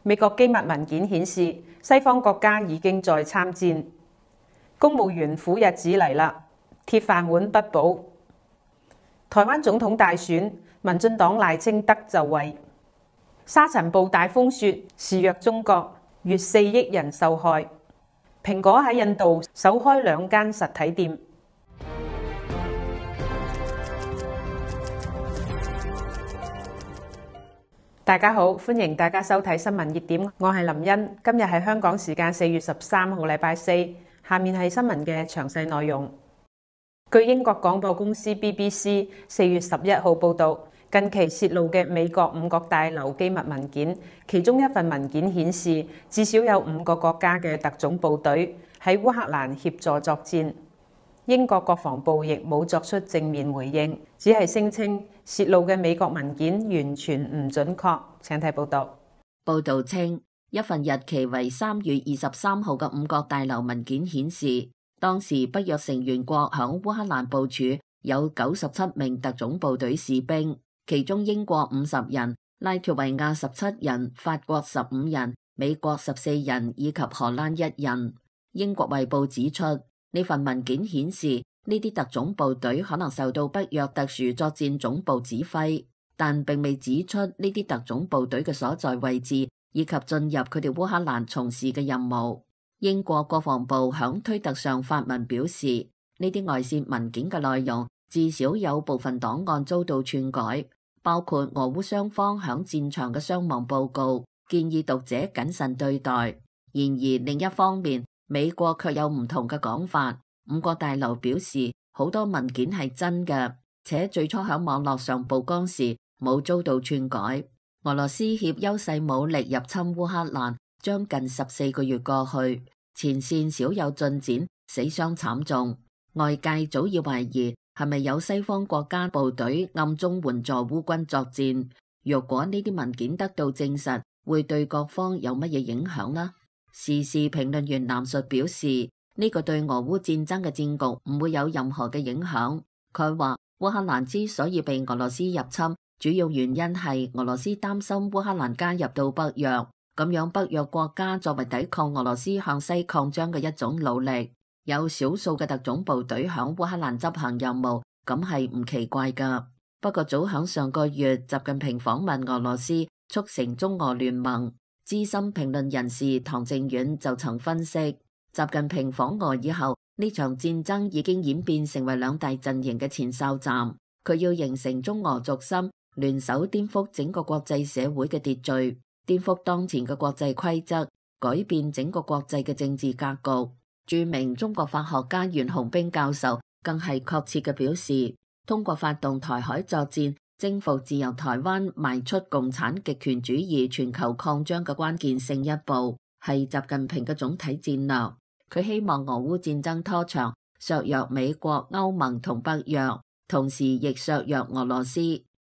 美國機密文件顯示，西方國家已經在參戰。公務員苦日子嚟啦，鐵飯碗不保。台灣總統大選，民進黨賴清德就位。沙塵暴大風雪肆虐中國，逾4億人受害。蘋果喺印度首開2間實體店。大家好，歡迎大家收睇新聞熱點，我係林茵。今日係香港時間4月13號禮拜四，下面係新聞嘅詳細內容。據英國廣播公司 BBC 4月11號報導，近期泄露嘅美國5角大樓機密文件，其中一份文件顯示，至少有5個國家嘅特種部隊喺烏克蘭協助作戰。英國國防部亦冇作出正面回應，只係聲稱泄露嘅美國文件完全唔準確。請睇報導。報導稱，一份日期為3月23號嘅5角大樓文件顯示，當時北約成員國響烏克蘭部署有97名特種部隊士兵，其中英國50人、拉脫維亞17人、法國15人、美國14人以及荷蘭1人。英國衛報指出，呢份文件顯示，呢啲特種部隊可能受到北約特殊作戰總部指揮，但並未指出呢啲特種部隊嘅所在位置以及進入佢哋烏克蘭從事嘅任務。英國國防部響推特上發文表示，呢啲外泄文件嘅內容至少有部分檔案遭到篡改，包括俄烏雙方響戰場嘅傷亡報告，建議讀者謹慎對待。然而另一方面，美國卻有唔同嘅講法。5角大樓表示，好多文件係真嘅，且最初喺網絡上曝光時冇遭到篡改。俄羅斯挾優勢武力入侵烏克蘭，將近14個月過去，前線少有進展，死傷慘重。外界早已懷疑係咪有西方國家部隊暗中援助烏軍作戰。若果呢啲文件得到證實，會對各方有乜嘢影響呢？時事評論員藍述表示，呢個對俄烏戰爭嘅戰局唔會有任何嘅影響。佢話烏克蘭之所以被俄羅斯入侵，主要原因係俄羅斯擔心烏克蘭加入到北約，咁樣北約國家作為抵抗俄羅斯向西擴張嘅一種努力。有少數嘅特種部隊響烏克蘭執行任務，咁係唔奇怪噶。不過早響上個月，習近平訪問俄羅斯，促成中俄聯盟。資深評論人士唐靖遠就曾分析，習近平訪俄以後，呢場戰爭已經演變成為2大陣營嘅前哨站。佢要形成中俄軸心，聯手顛覆整個國際社會嘅秩序，顛覆當前嘅國際規則，改變整個國際嘅政治格局。著名中國法學家袁洪兵教授更係確切嘅表示，通過發動台海作戰，征服自由台灣，邁出共產極權主義全球擴張嘅關鍵性一步，係習近平嘅總體戰略。佢希望俄烏戰爭拖長，削弱美國、歐盟同北約，同時亦削弱俄羅斯。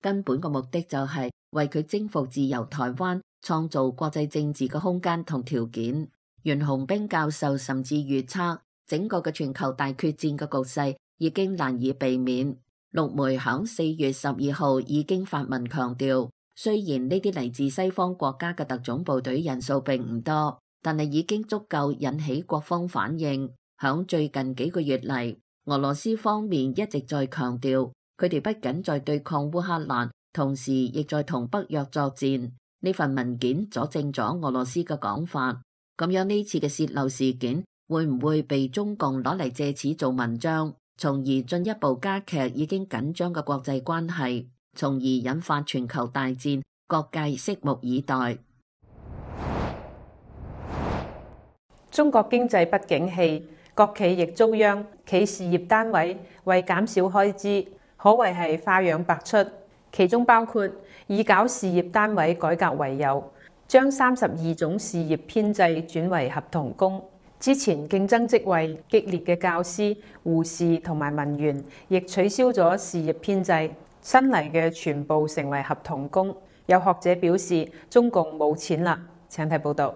根本嘅目的就係為佢征服自由台灣創造國際政治嘅空間同條件。袁洪兵教授甚至預測，整個嘅全球大決戰嘅局勢已經難以避免。陸媒響4月12號已經發文強調，雖然呢啲嚟自西方國家嘅特種部隊人數並唔多，但係已經足夠引起各方反應。響最近幾個月嚟，俄羅斯方面一直在強調，佢哋不僅在對抗烏克蘭，同時亦在同北約作戰。呢份文件佐證咗俄羅斯嘅講法。咁樣呢次嘅洩漏事件會唔會被中共攞嚟借此做文章，從而進一步加劇已經緊張嘅國際關係，從而引發全球大戰？各界拭目以待。中國經濟不景氣，國企亦遭殃，企事業單位為減少開支，可謂係花樣百出。其中包括以搞事業單位改革為由，將32種事業編制轉為合同工。之前競爭職位激烈嘅教師、護士同埋文員，亦取消咗事業編制，新嚟嘅全部成為合同工。有學者表示，中共冇錢啦。請睇報導。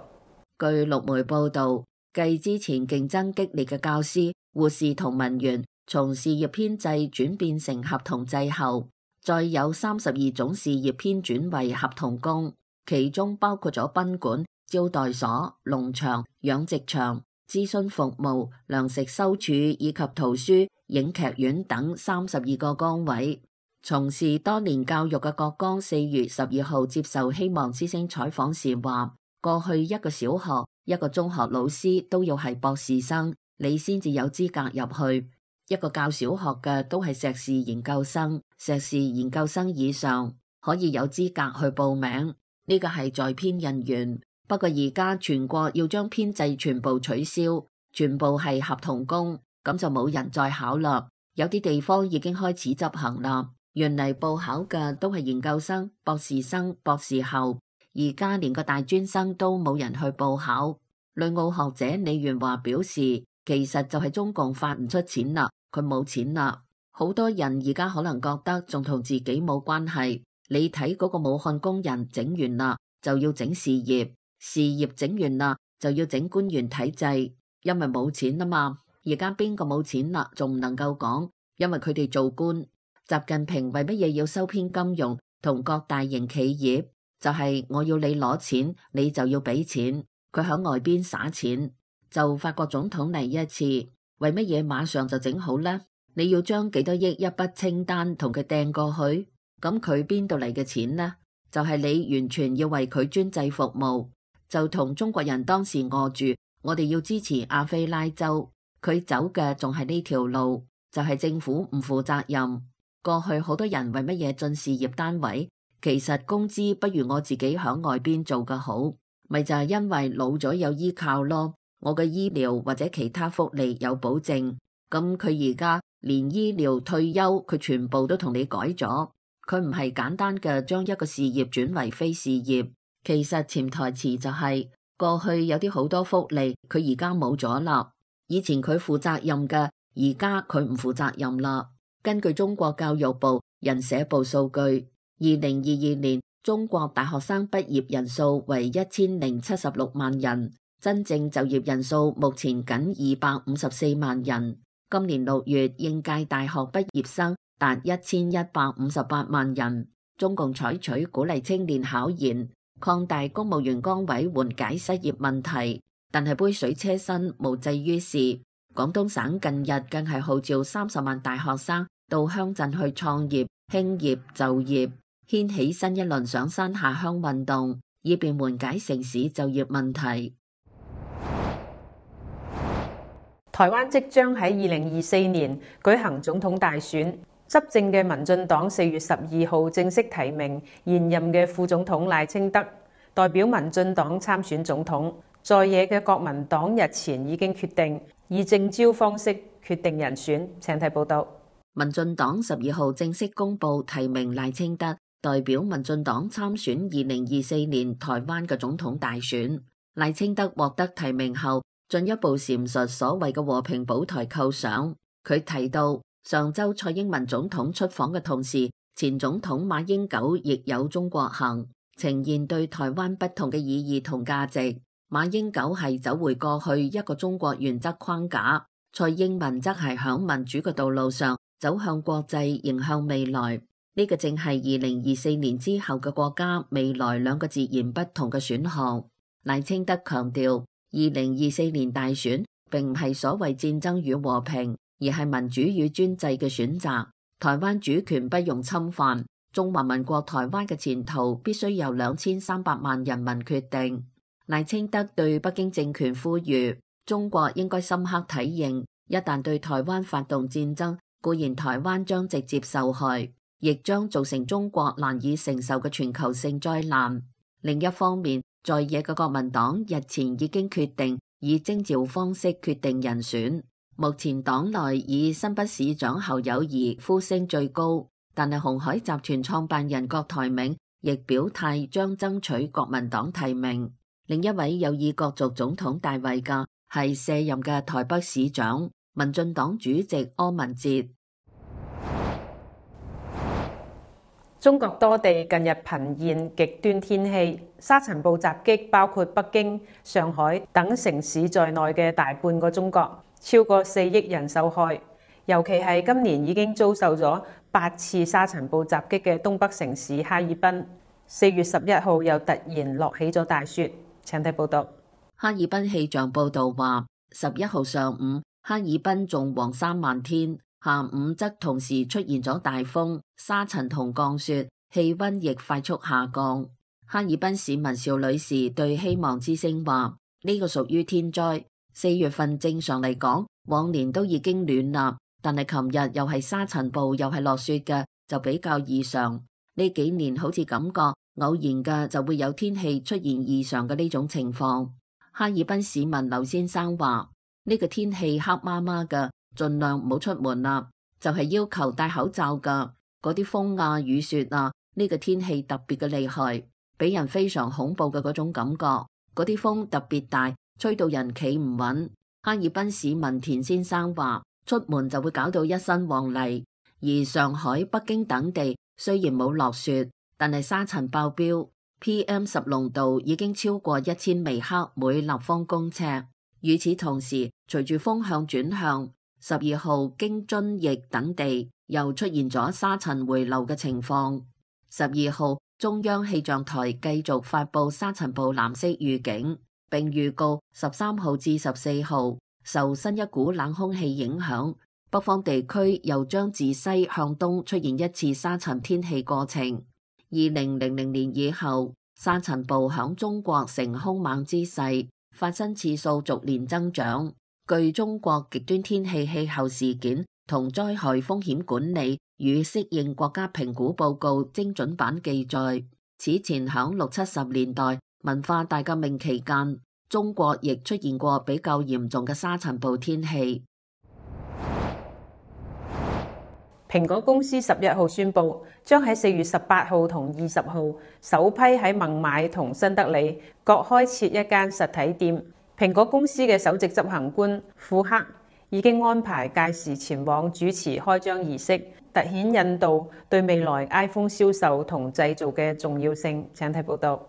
據陸媒報導，繼之前競爭激烈嘅教師、護士同文員從事業編制轉變成合同制後，再有32種事業編轉為合同工。其中包括咗賓館、招待所、農場、養殖場、諮詢服務、糧食收儲以及圖書、影劇院等32個崗位。從事多年教育嘅郭剛4月12號接受希望之聲採訪時話，過去一個小學、一個中學老師都要係博士生，你先至有資格入去。一個教小學嘅都係碩士研究生，碩士研究生以上可以有資格去報名。呢個係在編人員。不過而家全國要將編制全部取消，全部係合同工，咁就冇人再考啦。有啲地方已經開始執行啦。原嚟報考嘅都係研究生、博士生、博士後，而家連個大專生都冇人去報考。旅澳學者李元華表示，其實就係中共發唔出錢啦，佢冇錢啦。好多人而家可能覺得仲同自己冇關係。你睇嗰個武漢工人整完啦，就要整事業，事業整完啦，就要整官員體制，因為冇錢啊嘛。而家邊個冇錢啦，仲唔能夠講，因為佢哋做官。習近平為乜嘢要收編金融同各大型企業？就係我要你攞錢，你就要俾錢。佢響外邊撒錢，就法國總統嚟一次，為乜嘢馬上就整好呢？你要將幾多億一筆清單同佢掟過去，咁佢邊度嚟嘅錢呢？就係你完全要為佢專制服務，就同中國人當時餓住，我哋要支持阿非拉州，佢走嘅仲係呢條路，就係政府唔負責任。過去好多人為乜嘢進事業單位？其實工資不如我自己響外邊做嘅好，咪就係因為老咗有依靠咯。我嘅醫療或者其他福利有保證，咁佢而家連醫療退休佢全部都同你改咗，佢唔係簡單嘅將一個事業轉為非事業。其實潛台詞就係過去有啲好多福利佢而家冇咗啦，以前佢負責任嘅，而家佢唔負責任啦。根據中國教育部人社部數據，2022年中國大學生畢業人數為1076萬人，真正就業人數目前僅254萬人。今年6月應屆大學畢業生達1158萬人。中共採取鼓勵青年考研，擴大公務員崗位緩解失業問題，但係杯水車薪無濟於事。廣東省近日更係號召30萬大學生到鄉鎮去創業、興業、就業，掀起新一輪上山下鄉運動，以便緩解城市就業問題。台灣即將喺2024年舉行總統大選，執政嘅民進黨4月12號正式提名現任嘅副總統賴清德代表民進黨參選總統。在野嘅國民黨日前已經決定以徵召方式決定人選。請睇報道。民進黨12號正式公布提名賴清德代表民進黨參選2024年台灣嘅總統大選。賴清德獲得提名後，進一步闡述所謂嘅和平保台構想。佢提到，上週蔡英文總統出訪嘅同時，前總統馬英九亦有中國行，呈現對台灣不同嘅意義同價值。馬英九係走回過去一個中國原則框架，蔡英文則係響民主嘅道路上走向國際，迎向未來。呢個正係2024年之後嘅國家未來兩個截然不同嘅選項。賴清德強調，2024年大選並唔係所謂戰爭與和平，而係民主與專制嘅選擇。台灣主權不容侵犯，中華民國台灣嘅前途必須由2300萬人民決定。賴清德對北京政權呼籲，中國應該深刻體認，一旦對台灣發動戰爭，固然台灣將直接受害，亦將造成中國難以承受嘅全球性災難。另一方面，在野嘅國民黨日前已經決定以徵召方式決定人選。目前黨內以新北市長侯友宜呼聲最高，但係鴻海集團創辦人郭台銘亦表態將爭取國民黨提名。另一位有意角逐總統大位嘅係卸任嘅台北市長民進黨主席柯文哲。中國多地近日頻現極端天氣，沙塵暴襲擊包括北京、上海等城市在內嘅大半個中國，超過4億人受害。尤其係今年已經遭受咗8次沙塵暴襲擊嘅東北城市哈爾濱， 4月11號又突然落起咗大雪。請睇報道。哈爾濱氣象報道話，11號上午，哈爾濱仲黃山漫天，下午則同時出現咗大風、沙塵同降雪，氣溫亦快速下降。哈爾濱市民邵女士對希望之聲話：呢個屬於天災。4月份正常嚟講，往年都已經暖啦，但係琴日又係沙塵暴又係落雪嘅，就比較異常。呢幾年好似感覺偶然嘅就會有天氣出現異常嘅呢種情況。哈爾濱市民劉先生話：呢個天氣黑麻麻嘅，盡量唔好出門啦，就係要求戴口罩噶。嗰啲風啊、雨雪啊，呢個天氣特別嘅厲害，俾人非常恐怖嘅嗰種感覺。嗰啲風特別大，吹到人企唔穩。哈爾濱市民田先生話：出門就會搞到一身黃泥。而上海、北京等地雖然冇落雪，但係沙塵爆標。PM10濃度已經超過1000微克每立方公尺。與此同時，隨住風向轉向，12號京津冀等地又出現咗沙塵回流嘅情況。12號中央氣象台繼續發布沙塵暴藍色預警，並預告13號至14號受新一股冷空氣影響，北方地區又將自西向東出現一次沙塵天氣過程。2000年以後，沙塵暴響中國呈兇猛之勢，發生次數逐年增長。據中國極端天氣氣候事件同災害風險管理與適應國家評估報告精準版記載，此前響60、70年代文化大革命期間，中國亦出現過比較嚴重嘅沙塵暴天氣。蘋果公司11號宣布，將喺4月18號同20號首批喺孟買同新德里各開設一間實體店。蘋果公司嘅首席執行官庫克已經安排屆時前往主持開張儀式，凸顯印度對未來 iPhone 銷售同製造嘅重要性。請睇報道。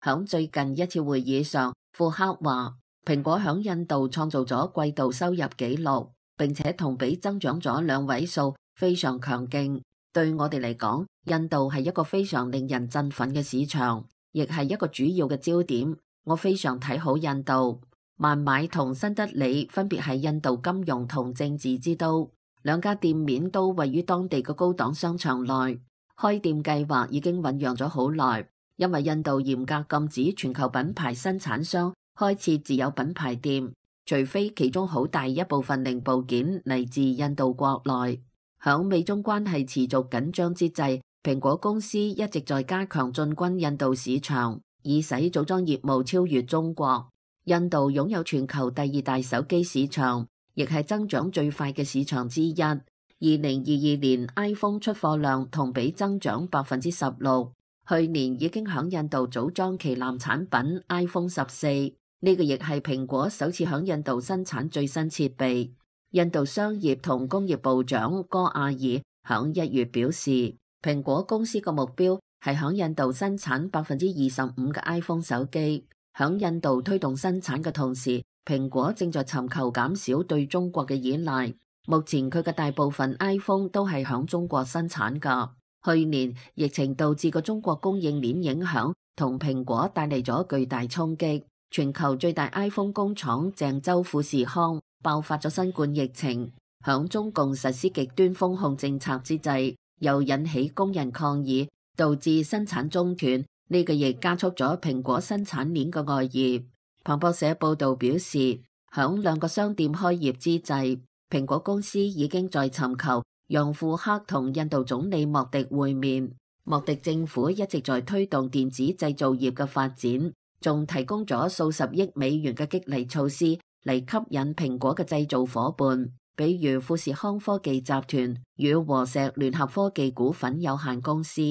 響最近一次會議上，庫克話蘋果響印度創造咗季度收入紀錄，並且同比增長咗2位數。非常強勁，對我哋嚟講，印度係一個非常令人振奮嘅市場，亦係一個主要嘅焦點。我非常睇好印度。孟買同新德里分別係印度金融同政治之都，兩家店面都位於當地嘅高檔商場內。開店計劃已經醞釀咗好耐，因為印度嚴格禁止全球品牌生產商開設自有品牌店，除非其中好大一部分零部件嚟自印度國內。響美中關係持續緊張之際，蘋果公司一直在加強進軍印度市場，以使組裝業務超越中國。印度擁有全球第2大手機市場，亦係增長最快嘅市場之一。2022年 iPhone 出貨量同比增長16%，去年已經響印度組裝旗艦產品 iPhone 14，呢個亦係蘋果首次響印度生產最新設備。印度商業同工業部長戈亞爾響1月表示，蘋果公司嘅目標係響印度生產25%嘅 iPhone 手機。響印度推動生產嘅同時，蘋果正在尋求減少對中國嘅依賴。目前佢嘅大部分 iPhone 都係響中國生產㗎。去年疫情導致個中國供應鏈影響，同蘋果帶嚟咗巨大衝擊。全球最大 iPhone 工廠鄭州富士康爆發咗新冠疫情，響中共實施極端封控政策之際，又引起工人抗議，導致生產中斷。呢個亦加速咗蘋果生產鏈嘅外移。彭博社報道表示，響2個商店開業之際，蘋果公司已經在尋求讓庫克同印度總理莫迪會面。莫迪政府一直在推動電子製造業嘅發展，仲提供咗數十億美元嘅激勵措施嚟吸引蘋果嘅製造夥伴，比如富士康科技集團與和碩聯合科技股份有限公司。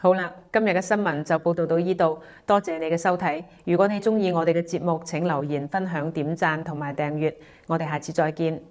好啦，今日嘅新聞就報道到呢度，多謝你嘅收睇。如果你鍾意我哋嘅節目，請留言、分享、點讚同埋訂閱。我哋下次再見。